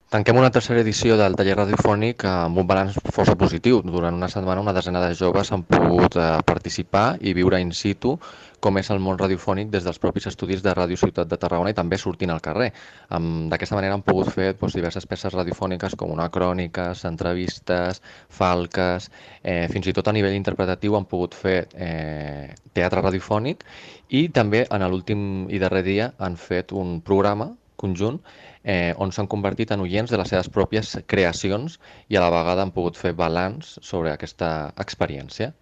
Tanquem una tercera edició del taller radiofònic amb un balanç força positiu. Durant una setmana una desena de joves han pogut participar i viure in situ com és el món radiofònic des dels propis estudis de Ràdio Ciutat de Tarragona i també sortint al carrer. D'aquesta manera han pogut fer diverses peces radiofòniques com una cròniques, entrevistes, falques, fins i tot a nivell interpretatiu han pogut fer teatre radiofònic i també en l'últim i darrer dia han fet un programa conjunt on s'han convertit en oients de les seves pròpies creacions i a la vegada han pogut fer balanç sobre aquesta experiència.